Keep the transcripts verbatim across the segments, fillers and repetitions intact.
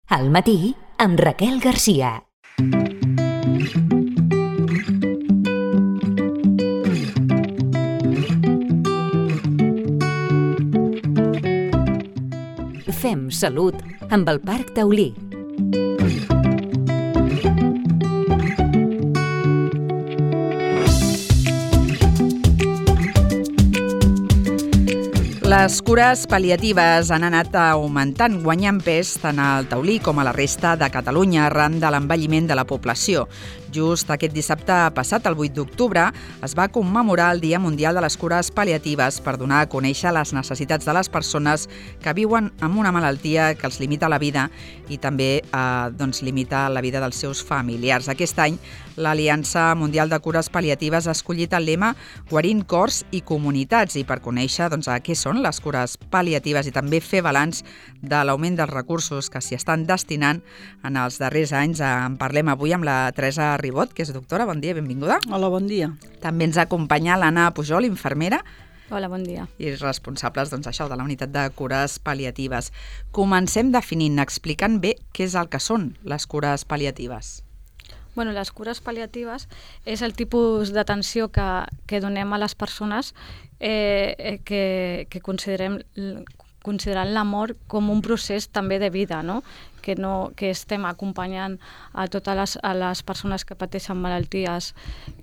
Al matí, amb Raquel Garcia. Fem salut amb el Parc Taulí. Les cures pal·liatives han anat augmentant, guanyant pes tant al Taulí com a la resta de Catalunya arran de l'envelliment de la població. Just aquest dissabte passat, el vuit d'octubre, es va commemorar el Dia Mundial de les Cures Pal·liatives per donar a conèixer les necessitats de les persones que viuen amb una malaltia que els limita la vida i també eh, doncs, limita la vida dels seus familiars. Aquest any, l'Aliança Mundial de Cures Pal·liatives ha escollit el lema Guarint cors i comunitats, i per conèixer doncs, a què són les cures pal·liatives i també fer balanç de l'augment dels recursos que s'hi estan destinant en els darrers anys, en parlem avui amb la Teresa Ribot, que és doctora. Bon dia, benvinguda. Hola, bon dia. També ens acompanya l'Anna Pujol, infermera. Hola, bon dia. I responsables doncs, això, de la unitat de cures pal·liatives. Comencem definint, explicant bé què és el que són les cures pal·liatives. Bueno, les cures pal·liatives és el tipus d'atenció que, que donem a les persones eh, que, que considerem considerant la mort com un procés també de vida, no? Que, no, que estem acompanyant a totes les, a les persones que pateixen malalties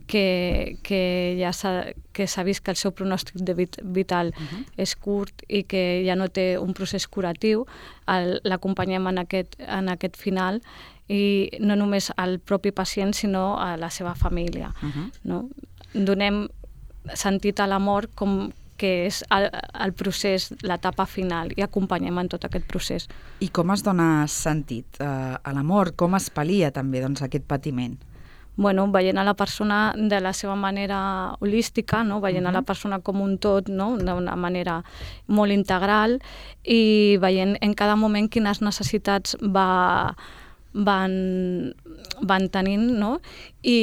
que, que ja s'ha vist que el seu pronòstic de vit, vital uh-huh. és curt i que ja no té un procés curatiu, l'acompanyem en, aquest, en aquest final, i no només al propi pacient sinó a la seva família. Uh-huh. No? Donem sentit a la mort com que és el, el procés, l'etapa final, i acompanyem en tot aquest procés. I com es dona sentit eh, a la mort? Com es pal·lia també doncs, aquest patiment? Bueno, veient a la persona de la seva manera holística, no? Veient uh-huh. a la persona com un tot, no? D'una manera molt integral, i veient en cada moment quines necessitats va... van, van tenint, no? I,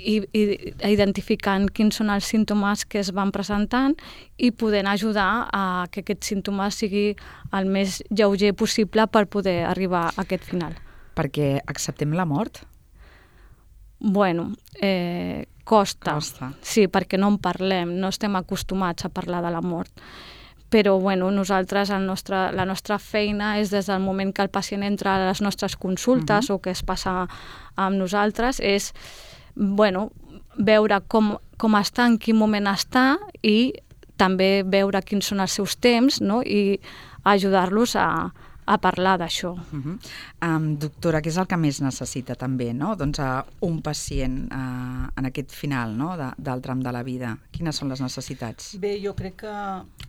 i, i identificant quins són els símptomes que es van presentant i podent ajudar a que aquest símptoma sigui el més lleuger possible per poder arribar a aquest final. Perquè acceptem la mort? Bueno, eh, costa. Costa. Sí, perquè no en parlem, no estem acostumats a parlar de la mort. Però bueno, nosaltres, el nostre, la nostra feina és des del moment que el pacient entra a les nostres consultes uh-huh. o que es passa amb nosaltres, és bueno, veure com, com està, en quin moment està, i també veure quins són els seus temps, no? I ajudar-los a, a parlar d'això. Uh-huh. Um, doctora, què és el que més necessita també, no? Doncs uh, un pacient uh, en aquest final, no? de, del tram de la vida. Quines són les necessitats? Bé, jo crec que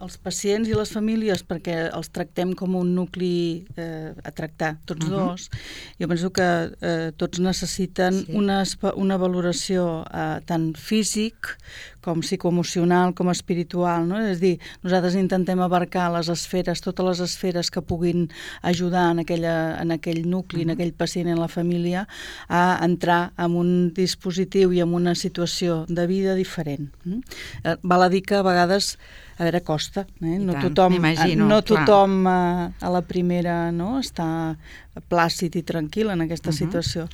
els pacients i les famílies, perquè els tractem com un nucli eh, a tractar, tots uh-huh. dos, jo penso que eh, tots necessiten sí. una, una valoració eh, tant físic com psicoemocional, com espiritual, no? És a dir, nosaltres intentem abarcar les esferes, totes les esferes que puguin ajudar en, aquella, en aquell nucli, uh-huh. en aquell pacient, en la família, a entrar en un dispositiu i en una situació de vida diferent. Mm? Eh, val a dir que a vegades a veure, costa, eh? no tant, tothom, no tothom a, a la primera no, està plàcid i tranquil en aquesta uh-huh. situació.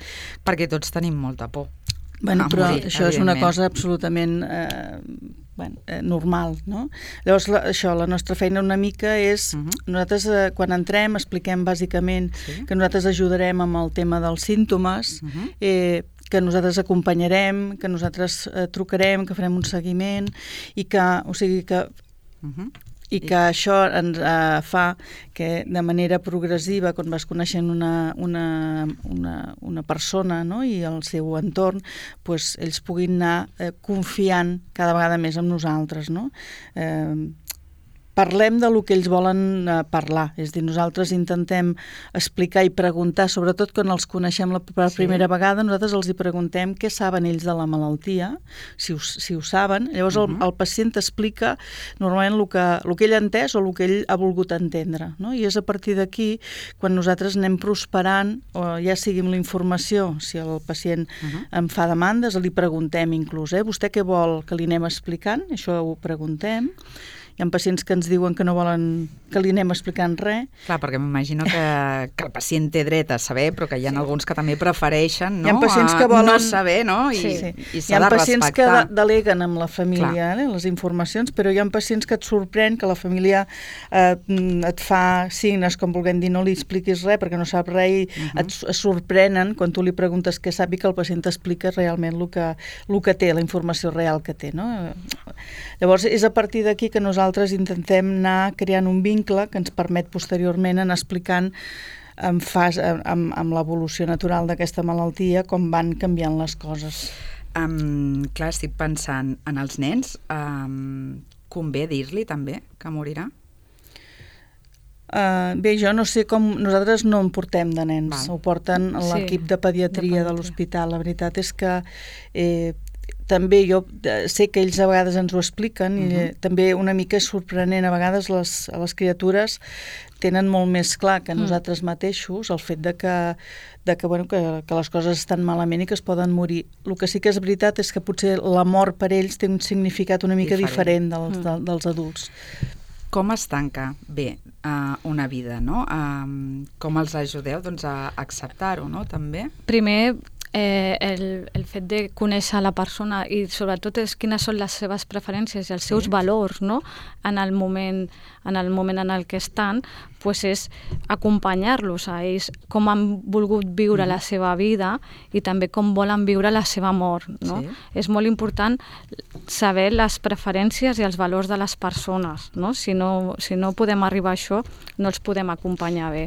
Perquè tots tenim molta por. Bueno, però morir, això és una cosa absolutament eh, bueno, eh, normal, no? Llavors, la, això, la nostra feina una mica és, uh-huh. nosaltres eh, quan entrem expliquem bàsicament sí. que nosaltres ajudarem amb el tema dels símptomes, uh-huh. eh, que nosaltres acompanyarem, que nosaltres eh, trucarem, que farem un seguiment, i que, o sigui que... Uh-huh. I que això ens uh, fa que de manera progressiva, quan vas coneixent una, una, una, una persona, no? I el seu entorn, pues, ells puguin anar eh, confiant cada vegada més en nosaltres. No? Eh, parlem de lo que ells volen eh, parlar, és a dir, nosaltres intentem explicar i preguntar, sobretot quan els coneixem la per primera sí. vegada, nosaltres els hi preguntem què saben ells de la malaltia, si ho, si ho saben, llavors uh-huh. el, el pacient explica normalment el que, el que ell ha entès o el que ell ha volgut entendre, no? I és a partir d'aquí quan nosaltres anem prosperant, o ja sigui amb la informació, si el pacient uh-huh. em fa demandes, li preguntem inclús, eh, vostè què vol que li anem explicant? Això ho preguntem. Hi ha pacients que ens diuen que no volen que li anem explicant res. Clar, perquè m'imagino que, que el pacient té dret a saber, però que hi ha sí. alguns que també prefereixen, no? Hi ha pacients que volen... no saber, no? I, sí. i Hi s'ha ha de pacients respectar. que de deleguen amb la família eh, les informacions, però hi ha pacients que et sorprèn que la família eh, et fa signes com volent dir no li expliquis res perquè no sap res i uh-huh. et, et sorprenen quan tu li preguntes què sap i que el pacient t'explica realment el que, el que té, la informació real que té, no? Llavors és a partir d'aquí que nosaltres intentem anar creant un vincle que ens permet posteriorment anar explicant en fas, amb, amb l'evolució natural d'aquesta malaltia com van canviant les coses. Um, clar, estic pensant en els nens. Um, convé dir-li també que morirà? Uh, bé, jo no sé com... Nosaltres no en portem de nens, Val. Ho porten l'equip sí, de pediatria de, de l'hospital. La veritat és que eh, també jo sé que ells a vegades ens ho expliquen uh-huh. i eh, també una mica és sorprenent. A vegades les, les criatures tenen molt més clar que nosaltres mateixos el fet de que, de que, bueno, que, que les coses estan malament i que es poden morir. El que sí que és veritat és que potser la mort per ells té un significat una mica diferent, diferent dels, de, dels adults. Com es tanca bé uh, una vida, no? Uh, com els ajudeu doncs, a acceptar-ho, no? També? Primer, eh, el, el fet de conèixer la persona i sobretot és quines són les seves preferències i els seus sí. valors, no? en el moment en el moment en el que estan, pues és acompanyar-los a ells com han volgut viure mm. la seva vida i també com volen viure la seva mort, no? Sí. És molt important saber les preferències i els valors de les persones, no? Si no, si no podem arribar a això, no els podem acompanyar bé.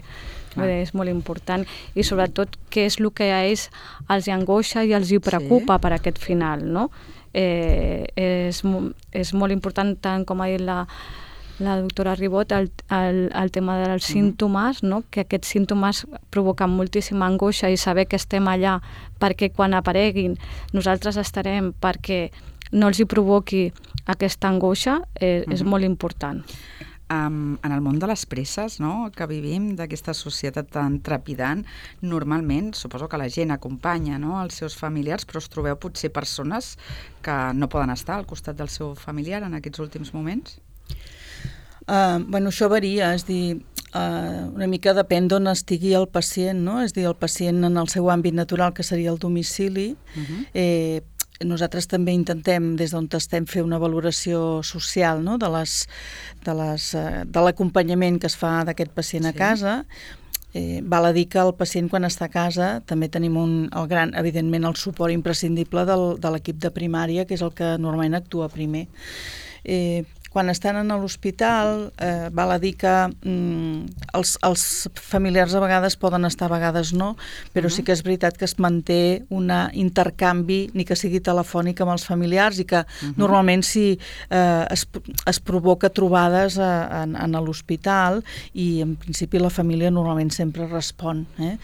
Ah. És molt important i sobretot què és el que a ells els angoixa i els hi preocupa sí. per aquest final, no? Eh, és, és molt important, tant com ha dit la, la doctora Ribot, el, el, el tema dels mm. símptomes, no? Que aquests símptomes provoquen moltíssima angoixa i saber que estem allà perquè quan apareguin nosaltres estarem perquè no els hi provoqui aquesta angoixa, eh, mm. és molt important. Um, en el món de les presses, no?, que vivim, d'aquesta societat tan trepidant, normalment suposo que la gent acompanya, no?, els seus familiars, però us trobeu potser persones que no poden estar al costat del seu familiar en aquests últims moments? Uh, bueno, això varia, és dir, uh, una mica depèn d'on estigui el pacient, no? És dir, el pacient en el seu àmbit natural, que seria el domicili, uh-huh. eh, nosaltres també intentem, des d'on estem, fer una valoració social, no? de les, de les, de l'acompanyament que es fa d'aquest pacient sí. a casa. Eh, val a dir que el pacient quan està a casa també tenim un, el gran, evidentment el suport imprescindible del, de l'equip de primària, que és el que normalment actua primer. Eh, quan estan en l'hospital, eh, val a dir que mm, els, els familiars a vegades poden estar, a vegades no, però uh-huh. sí que és veritat que es manté un intercanvi, ni que sigui telefònic amb els familiars, i que uh-huh. normalment sí eh, es, es provoca trobades a, en, en l'hospital, i en principi la família normalment sempre respon. Eh?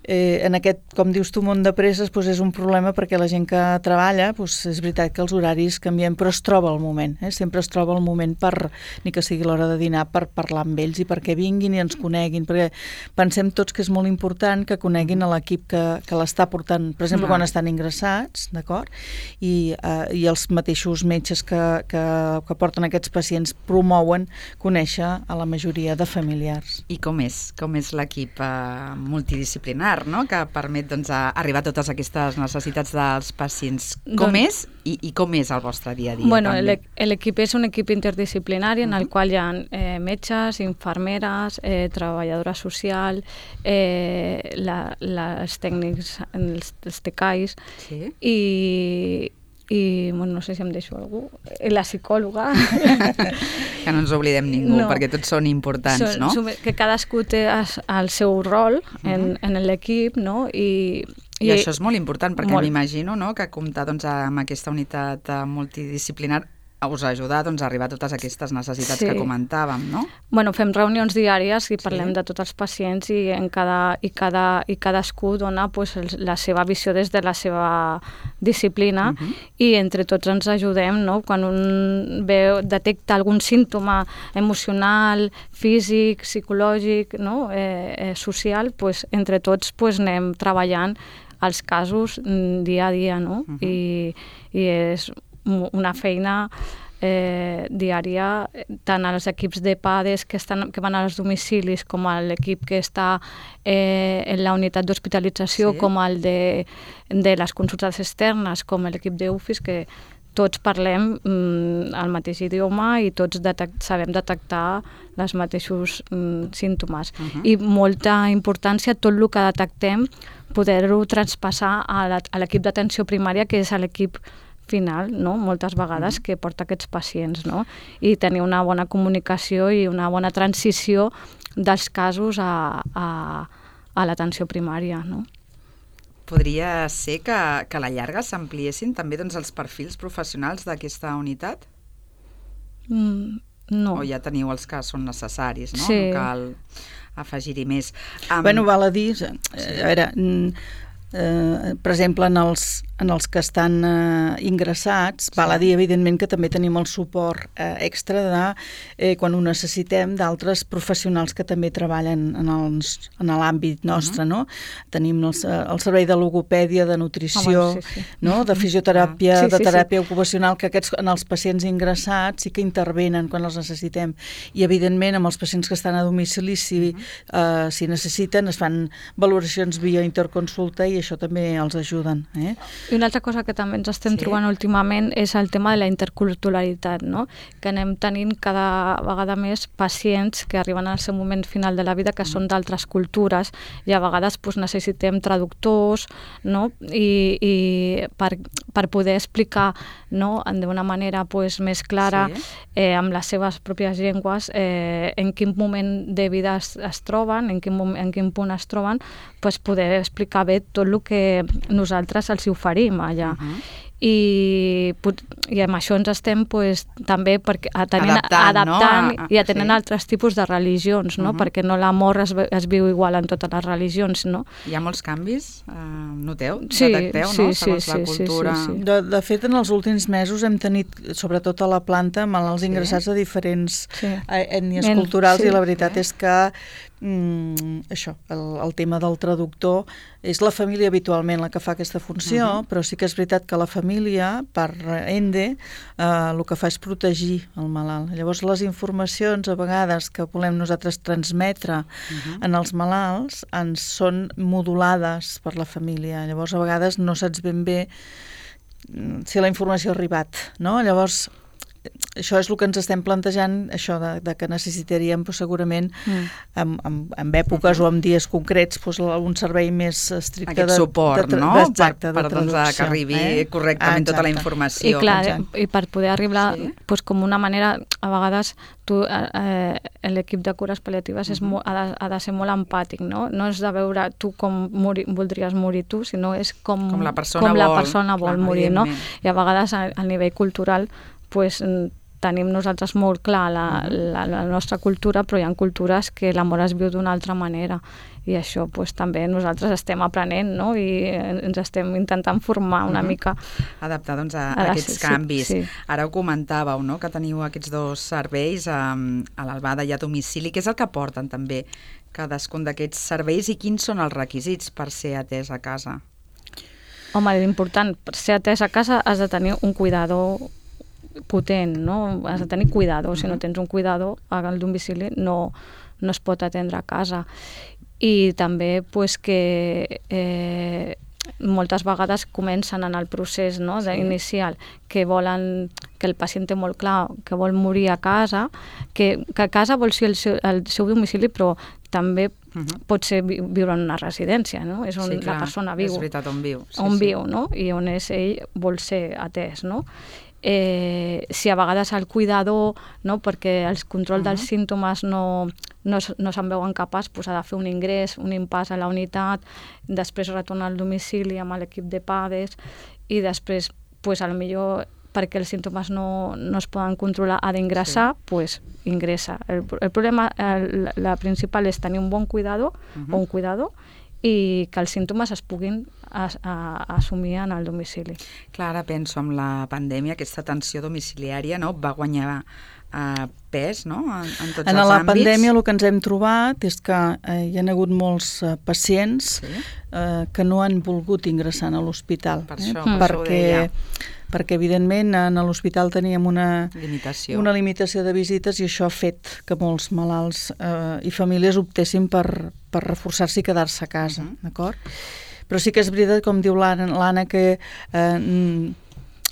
Eh, en aquest, com dius tu, món de presses, doncs és un problema perquè la gent que treballa, doncs és veritat que els horaris canvien, però es troba el moment, eh? sempre es troba el moment per, ni que sigui l'hora de dinar, per parlar amb ells i perquè vinguin i ens coneguin, perquè pensem tots que és molt important que coneguin a l'equip que, que l'està portant, per exemple, quan estan ingressats, d'acord? I, eh, i els mateixos metges que, que, que porten aquests pacients promouen conèixer a la majoria de familiars. I com és? Com és l'equip eh, multidisciplinar, no? Que permet doncs, arribar a totes aquestes necessitats dels pacients. Com doncs, és i, i com és el vostre dia a dia? Bueno, l'equip és un equip interdisciplinari en el uh-huh. qual hi ha eh, metges, infermeres, eh, treballadora social, eh, la, les tècnics, els, els tecais sí. i i bueno, no sé si em deixo algú, la psicòloga. Que no ens oblidem ningú, no. perquè tots són importants, són, no? Que cadascú té el seu rol en, uh-huh. en l'equip, no? I, I, I això és molt important, perquè molt. m'imagino no, que comptar doncs, amb aquesta unitat multidisciplinar us ajuda doncs, a arribar a totes aquestes necessitats sí. que comentàvem, no? Bueno, fem reunions diàries i parlem sí. de tots els pacients i, en cada, i, cada, i cadascú dona pues, la seva visió des de la seva disciplina uh-huh. i entre tots ens ajudem, no? Quan un veu, detecta algun símptoma emocional, físic, psicològic, no? eh, eh, social, pues, entre tots pues, anem treballant els casos dia a dia, no? Uh-huh. I, i és una feina eh, diària, tant als equips de PADES que, estan, que van als domicilis com a l'equip que està eh, en la unitat d'hospitalització, sí. com el de, de les consultes externes, com l'equip d'U F I S, que tots parlem mm, el mateix idioma i tots detect, sabem detectar els mateixos mm, símptomes. Uh-huh. I molta importància tot el que detectem poder-ho traspassar a l'equip d'atenció primària, que és l'equip final, no? Moltes vegades, que porta aquests pacients, no? I tenir una bona comunicació i una bona transició dels casos a, a, a l'atenció primària, no? Podria ser que, que a la llarga s'ampliessin també doncs, els perfils professionals d'aquesta unitat? Mm, no. O ja teniu els que són necessaris, no? Sí. No cal afegir-hi més. Um... Bueno, val a dir, a veure, eh, per exemple, en els, en els que estan eh, ingressats, sí. val a dir, evidentment, que també tenim el suport eh, extra de, eh, quan ho necessitem, d'altres professionals que també treballen en, els, en l'àmbit nostre, uh-huh. no? Tenim el, el servei de logopèdia, de nutrició, oh, bueno, sí, sí. no? de fisioteràpia, sí, sí, de teràpia sí. ocupacional, que aquests, en els pacients ingressats sí que intervenen quan els necessitem. I, evidentment, amb els pacients que estan a domicili, si, uh-huh. eh, si necessiten, es fan valoracions via interconsulta i això també els ajuden. Eh? I una altra cosa que també ens estem sí. trobant últimament és el tema de la interculturalitat, no? Que anem tenint cada vegada més pacients que arriben al seu moment final de la vida que mm. són d'altres cultures i a vegades pues, necessitem traductors, no? I, i per, per poder explicar, no? d'una manera pues, més clara sí. eh, amb les seves pròpies llengües eh, en quin moment de vida es, es troben, en quin, moment, en quin punt es troben, pues, poder explicar bé tot el que nosaltres els oferim allà. Uh-huh. I, i amb això ens estem pues, també perquè, atenent, adaptant, adaptant no? i atenent sí. altres tipus de religions, no? Uh-huh. Perquè no l'amor es, es viu igual en totes les religions. No? Hi ha molts canvis? Uh, noteu? Sí, Detecteu, sí, no? sí, Segons sí, la cultura. Sí, sí, sí. De, de fet, en els últims mesos hem tenit, sobretot a la planta, malalts sí. ingressats a diferents sí. ètnies en, culturals sí. i la veritat sí. és que mm, això, el, el tema del traductor és la família habitualment la que fa aquesta funció, uh-huh. però sí que és veritat que la família, per ende, eh, el que fa és protegir el malalt. Llavors, les informacions, a vegades, que volem nosaltres transmetre uh-huh. en els malalts, ens són modulades per la família. Llavors, a vegades no saps ben bé si la informació ha arribat, no? Llavors, això és el que ens estem plantejant, això de, de que necessitaríem pues, segurament mm. en, en, en èpoques mm-hmm. o en dies concrets pues, un servei més estricte aquest de, suport, de, de, no? exacte, per, de per doncs, que arribi eh? correctament ah, tota la informació. I clar, i per poder arribar sí. pues, com una manera, a vegades tu, eh, l'equip de cures pal·liatives mm-hmm. és molt, ha, de, ha de ser molt empàtic, no? No és de veure tu com morir, voldries morir tu, sinó és com, com la persona com vol, la persona vol clar, morir, no? I a vegades a, a nivell cultural pues, tenim nosaltres molt clar la, la, la nostra cultura, però hi ha cultures que l'amor es viu d'una altra manera i això pues, també nosaltres estem aprenent, no? I ens estem intentant formar una uh-huh. mica. Adaptar doncs, a, a aquests sí, canvis. Sí. Ara ho comentàveu, no? Que teniu aquests dos serveis a, a l'Albada i a domicili. Què és el que porten també cadascun d'aquests serveis i quins són els requisits per ser atès a casa? Home, l'important, per ser atès a casa has de tenir un cuidador potent, no? Has de tenir cuidador. Si no tens un cuidador al domicili no, no es pot atendre a casa. I també pues, que eh, moltes vegades comencen en el procés no? sí. inicial que volen, que el pacient té molt clar que vol morir a casa, que, que a casa vol ser el seu, el seu domicili, però també uh-huh. pot ser vi, viure en una residència, no? És on sí, la persona viu. És veritat, on viu. Sí, on sí. viu, no? I on és ell vol ser atès, no? Eh, si a vegades el cuidador, no, perquè el control uh-huh. dels símptomes no, no, no se'n veuen capaç, pues ha de fer un ingrés, un impàs a la unitat, després retornar al domicili amb l'equip de PADES i després, pues, a lo millor perquè els símptomes no, no es poden controlar, ha d'ingressar, sí. pues ingressa. El, el problema, el, la principal és tenir un bon cuidador uh-huh. o un cuidador i que els símptomes es puguin as, a, assumir en el domicili. Clar, ara penso amb la pandèmia, aquesta atenció domiciliària no, va guanyar uh, pes no, en, en tots en els la àmbits. Pandèmia el que ens hem trobat és que eh, hi ha hagut molts eh, pacients sí. eh, que no han volgut ingressar a l'hospital. Per això, eh? per perquè això ho deia. perquè evidentment en l'hospital teníem una limitació. una limitació de visites i això ha fet que molts malalts eh, i famílies optessin per, per reforçar-se i quedar-se a casa, uh -huh. d'acord? Però sí que és veritat, com diu l'Anna, que eh,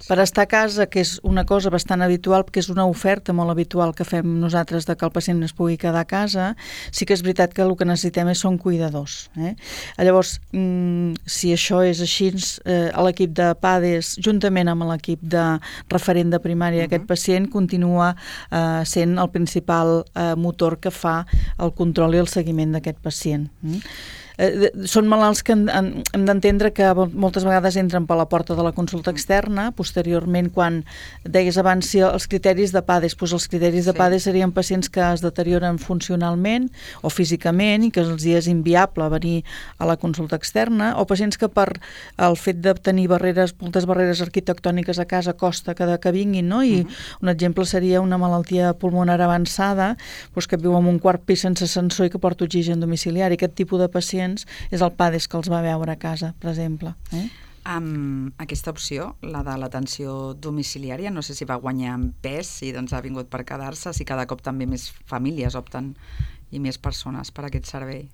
per estar a casa, que és una cosa bastant habitual, que és una oferta molt habitual que fem nosaltres de que el pacient es pugui quedar a casa, sí que és veritat que el que necessitem és són cuidadors. Eh? Llavors, mm, si això és així, eh, l'equip de PADES, juntament amb l'equip de referent de primària, uh-huh. aquest pacient continua eh, sent el principal eh, motor que fa el control i el seguiment d'aquest pacient. Mm? Eh, són malalts que en, en, hem d'entendre que moltes vegades entren per la porta de la consulta externa. Posteriorment, quan deies abans si els criteris de PADES, doncs els criteris de sí. PADES serien pacients que es deterioren funcionalment o físicament i que els és inviable venir a la consulta externa, o pacients que per el fet de tenir barreres, moltes barreres arquitectòniques a casa costa que, que vinguin, no? I uh -huh. un exemple seria una malaltia pulmonar avançada, doncs que viu en un quart pis sense ascensor i que porta oxigen domiciliari. Aquest tipus de pacients és el PADES que els va veure a casa, per exemple. Eh? Um, aquesta opció, la de l'atenció domiciliària, no sé si va guanyar en pes, si doncs ha vingut per quedar-se, si cada cop també més famílies opten i més persones per aquest servei.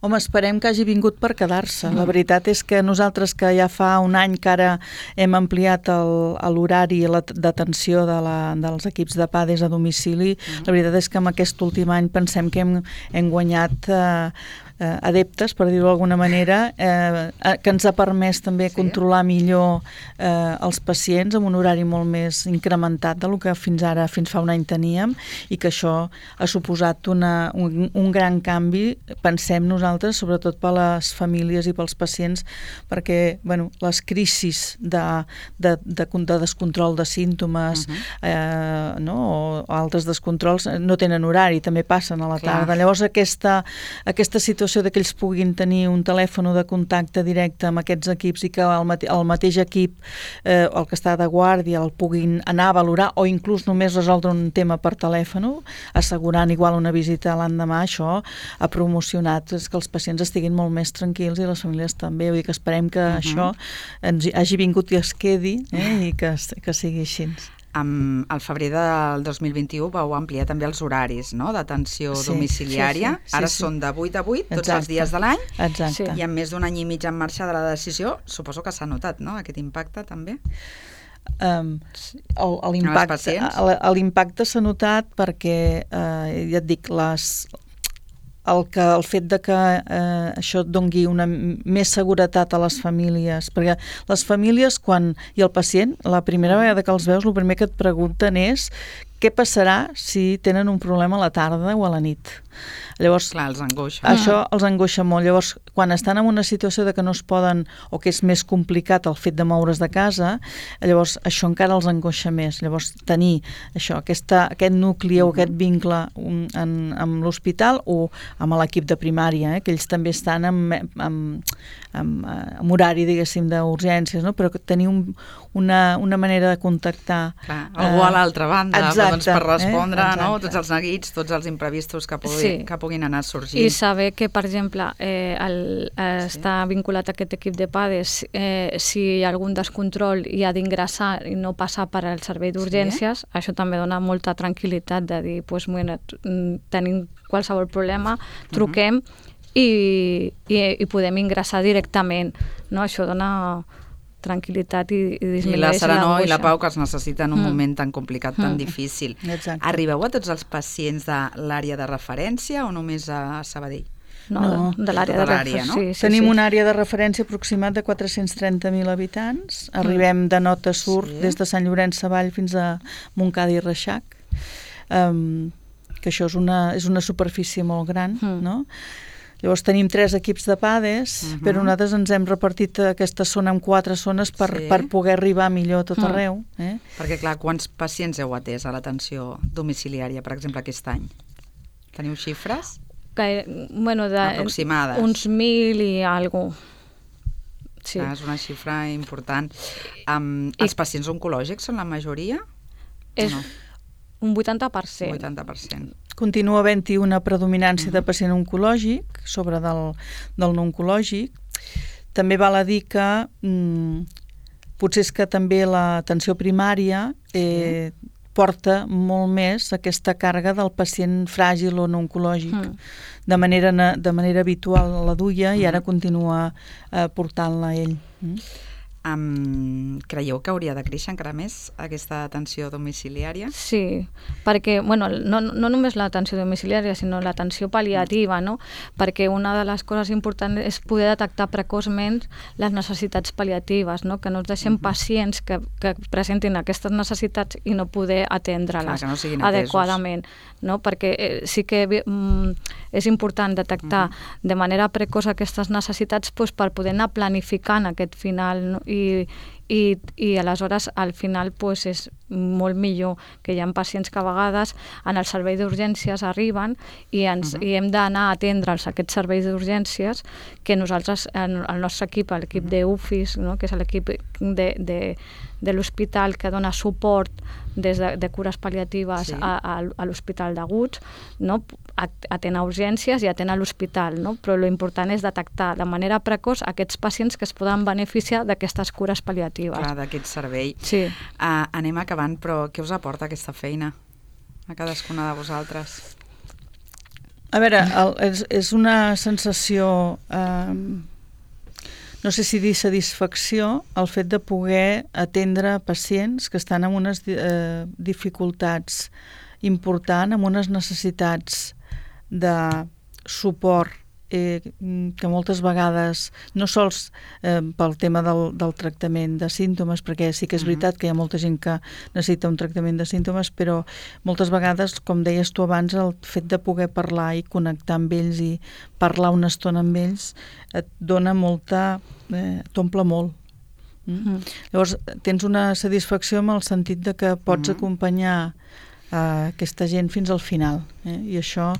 Home, esperem que hagi vingut per quedar-se. La veritat és que nosaltres, que ja fa un any que ara hem ampliat l'horari d'atenció de la, dels equips de PADES a domicili, uh-huh. la veritat és que en aquest últim any pensem que hem, hem guanyat eh, eh, adeptes, per dir-ho d'alguna manera, eh, que ens ha permès també sí. controlar millor eh, els pacients amb un horari molt més incrementat del que fins ara, fins fa un any teníem, i que això ha suposat una, un, un gran canvi, pensem nosaltres, sobretot per a les famílies i pels pacients, perquè bueno, les crisis de, de, de, de descontrol de símptomes uh-huh. eh, no? o altres descontrols no tenen horari, també passen a la Clar. tarda. Llavors aquesta, aquesta situació de que ells puguin tenir un telèfon de contacte directe amb aquests equips i que el, mate, el mateix equip, eh, el que està de guàrdia, el puguin anar a valorar o inclús només resoldre un tema per telèfon, assegurant igual una visita l'endemà, això ha promocionat és que els pacients estiguin molt més tranquils i les famílies també. Vull dir que esperem que uh-huh. això ens hagi vingut i es quedi eh, i que, que sigui així. Um, al febrer del dos mil vint-i-u vau ampliar també els horaris no? d'atenció sí, domiciliària. Sí, sí, sí, Ara sí. són de vuit a vuit, tots Exacte. els dies de l'any. Exacte. I amb més d'un any i mig en marxa de la decisió, suposo que s'ha notat, no?, aquest impacte també. Um, l'impacte l'impacte s'ha notat perquè, eh, ja et dic, les... El, que, el fet de que eh, això dongui una més seguretat a les famílies, perquè les famílies quan, i el pacient, la primera vegada que els veus, el primer que et pregunten és què passarà si tenen un problema a la tarda o a la nit. Llavors, Clar, els angoixa. Això els angoixa molt. Llavors, quan estan en una situació de que no es poden, o que és més complicat el fet de moure's de casa, llavors això encara els angoixa més. Llavors, tenir això, aquesta, aquest nucli o aquest vincle um, en, amb l'hospital o amb l'equip de primària, eh, que ells també estan amb, amb, amb, amb horari, diguéssim, d'urgències, no? Però tenir un, una, una manera de contactar... Clar, algú a l'altra banda, exacte, doncs, per respondre eh? no? tots els neguits, tots els imprevistos que, pugui, sí. que puguin anar sorgint. I saber que, per exemple, eh, el, eh, sí. està vinculat a aquest equip de PADES, eh, si hi ha algun descontrol i ha d'ingressar i no passar per al servei d'urgències, sí. això també dona molta tranquil·litat de dir, pues, bueno, tenim qualsevol problema, truquem uh-huh. i, i, i podem ingressar directament. No? Això dona tranquil·litat i, i disminueix I la serenor i la pau que es necessita en un mm. moment tan complicat, tan mm. difícil. Exacte. Arribeu a tots els pacients de l'àrea de referència o només a Sabadell? No, no. de, de l'àrea de referència. No? Sí, sí, Tenim sí. una àrea de referència aproximat de quatre-cents trenta mil habitants. Arribem de nord a sud, sí. des de Sant Llorenç Savall fins a Montcada i Reixac. Um, que això és una, és una superfície molt gran, mm. no? Llavors tenim tres equips de PADES, uh-huh. però nosaltres ens hem repartit aquesta zona en quatre zones per, sí. per poder arribar millor a tot uh-huh. arreu. Eh? Perquè, clar, quants pacients heu atès a l'atenció domiciliària, per exemple, aquest any? Teniu xifres? Que, bueno, de, aproximades? Uns mil i alguna cosa. Sí. Ah, és una xifra important. Um, els I... pacients oncològics són la majoria? És no? un vuitanta per cent. vuitanta per cent. Continua havent-hi una predominància de pacient oncològic sobre del, del no oncològic. També val a dir que mm, potser és que també l'atenció primària eh, sí. porta molt més aquesta càrrega del pacient fràgil o no oncològic. Mm. De manera, de manera habitual la duia i ara continua eh, portant-la ell. Mm. Um, creieu que hauria de créixer encara més aquesta atenció domiciliària? Sí, perquè bueno, no, no només l'atenció domiciliària, sinó l'atenció pal·liativa, no? Perquè una de les coses importants és poder detectar precoçment les necessitats pal·liatives, no? Que no ens deixem pacients que, que presentin aquestes necessitats i no poder atendre-les no adequadament, no? Perquè eh, sí que mm, és important detectar uh-huh. de manera precoç aquestes necessitats doncs, per poder anar planificant aquest final, no? I, i, i aleshores al final pues, és molt millor que hi ha pacients que a vegades en el servei d'urgències arriben i, ens, uh-huh. i hem d'anar a atendre'ls aquests serveis d'urgències que nosaltres, el nostre equip, l'equip uh-huh. d'U F I S, no? Que és l'equip de, de, de l'hospital que dona suport des de, de cures pal·liatives sí. a, a, a l'hospital d'Aguts, no? Atén a urgències i atén a l'hospital, no? Però l'important és detectar de manera precoç aquests pacients que es poden beneficiar d'aquestes cures pal·liatives. Clar, d'aquest servei. Sí. Uh, anem acabant, però què us aporta aquesta feina a cadascuna de vosaltres? A veure, el, és, és una sensació, eh, no sé si dir satisfacció, el fet de poder atendre pacients que estan en unes eh, dificultats importants, amb unes necessitats de suport eh, que moltes vegades, no sols eh, pel tema del, del tractament de símptomes, perquè sí que és veritat que hi ha molta gent que necessita un tractament de símptomes, però moltes vegades, com deies tu abans, el fet de poder parlar i connectar amb ells i parlar una estona amb ells et dona molta... Eh, t'omple molt. Mm? Mm. Llavors, tens una satisfacció en el sentit de que pots mm. acompanyar eh, aquesta gent fins al final. Eh? I això,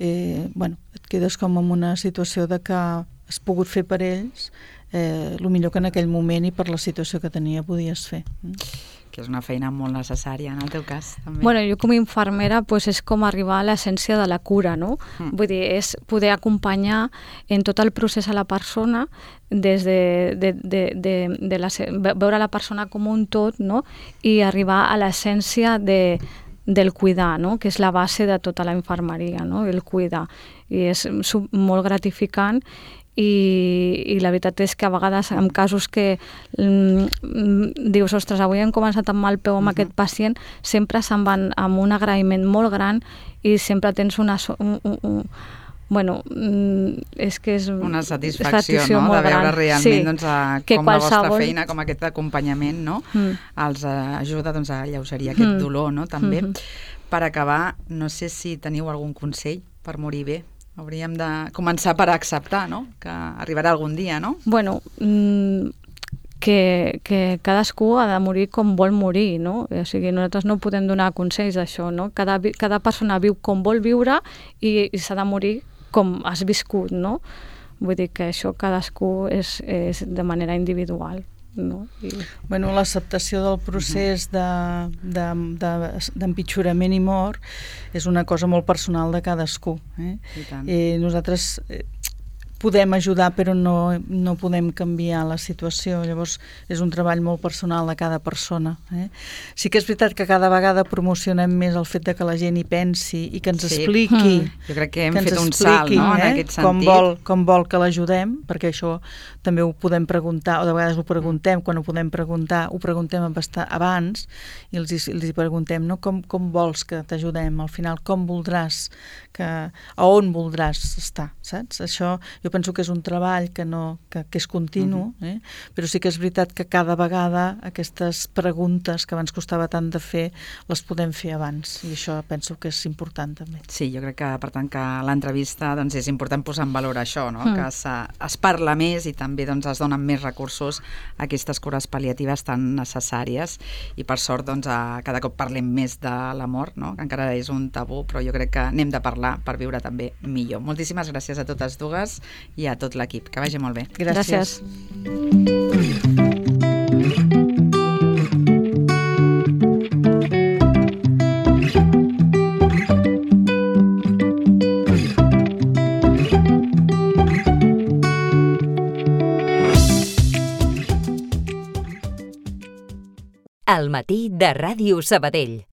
eh, bueno, et quedes com en una situació de que has pogut fer per ells eh, el millor que en aquell moment i per la situació que tenia podies fer. Mm? Que és una feina molt necessària en el teu cas, també. Bueno, jo com a infermera pues, és com arribar a l'essència de la cura, no? Mm. Vull dir, és poder acompanyar en tot el procés a la persona, des de, de, de, de, de la, veure la persona com un tot, no? I arribar a l'essència de, del cuidar, no? Que és la base de tota la infermeria, no? El cuidar. I és molt gratificant. I, i la veritat és que a vegades en casos que mm, dius, ostres, avui hem començat amb mal peu amb uh-huh. aquest pacient, sempre se'n van amb un agraïment molt gran i sempre tens una... Un, un, un, bueno, és que és una satisfacció, no? De veure gran. realment sí. doncs, a, que com qualsevol... la vostra feina, com aquest acompanyament, no? Mm. els uh, ajuda doncs, a alleugerir aquest mm. dolor, no? També. Mm-hmm. Per acabar, no sé si teniu algun consell per morir bé. Hauríem de començar per acceptar, no? Que arribarà algun dia, no? Bueno, mmm, que, que cadascú ha de morir com vol morir, no? O sigui, nosaltres no podem donar consells d'això, no? Cada, cada persona viu com vol viure i, i s'ha de morir com has viscut, no? Vull dir que això cadascú és, és de manera individual. No? I... Bueno, l'acceptació del procés de, de, de, d'empitjorament i mort és una cosa molt personal de cadascú. Eh? I tant. Eh, nosaltres eh, podem ajudar però no, no podem canviar la situació, llavors és un treball molt personal de cada persona. Eh? Sí que és veritat que cada vegada promocionem més el fet de que la gent hi pensi i que ens sí. expliqui, mm. jo crec que hem que fet un expliqui, salt, no? eh? En aquest sentit. Com vol, com vol que l'ajudem, perquè això també ho podem preguntar, o de vegades ho preguntem, quan ho podem preguntar, ho preguntem abans i els, els hi preguntem, no? com, com vols que t'ajudem, al final com voldràs, que, a on voldràs estar, saps? Això jo penso que és un treball que, no, que, que és continu, uh-huh. eh? Però sí que és veritat que cada vegada aquestes preguntes que abans costava tant de fer les podem fer abans i això penso que és important també. Sí, jo crec que per tant que l'entrevista doncs, és important posar en valor això, no? Mm. que es parla més i també doncs, es donen més recursos a aquestes cures pal·liatives tan necessàries i per sort doncs, a, cada cop parlem més de la mort, no? Que encara és un tabú, però jo crec que n'hem de parlar per viure també millor. Moltíssimes gràcies a totes dues i a tot l'equip. Que vagi molt bé. Gràcies. Gràcies. Al matí de Ràdio Sabadell.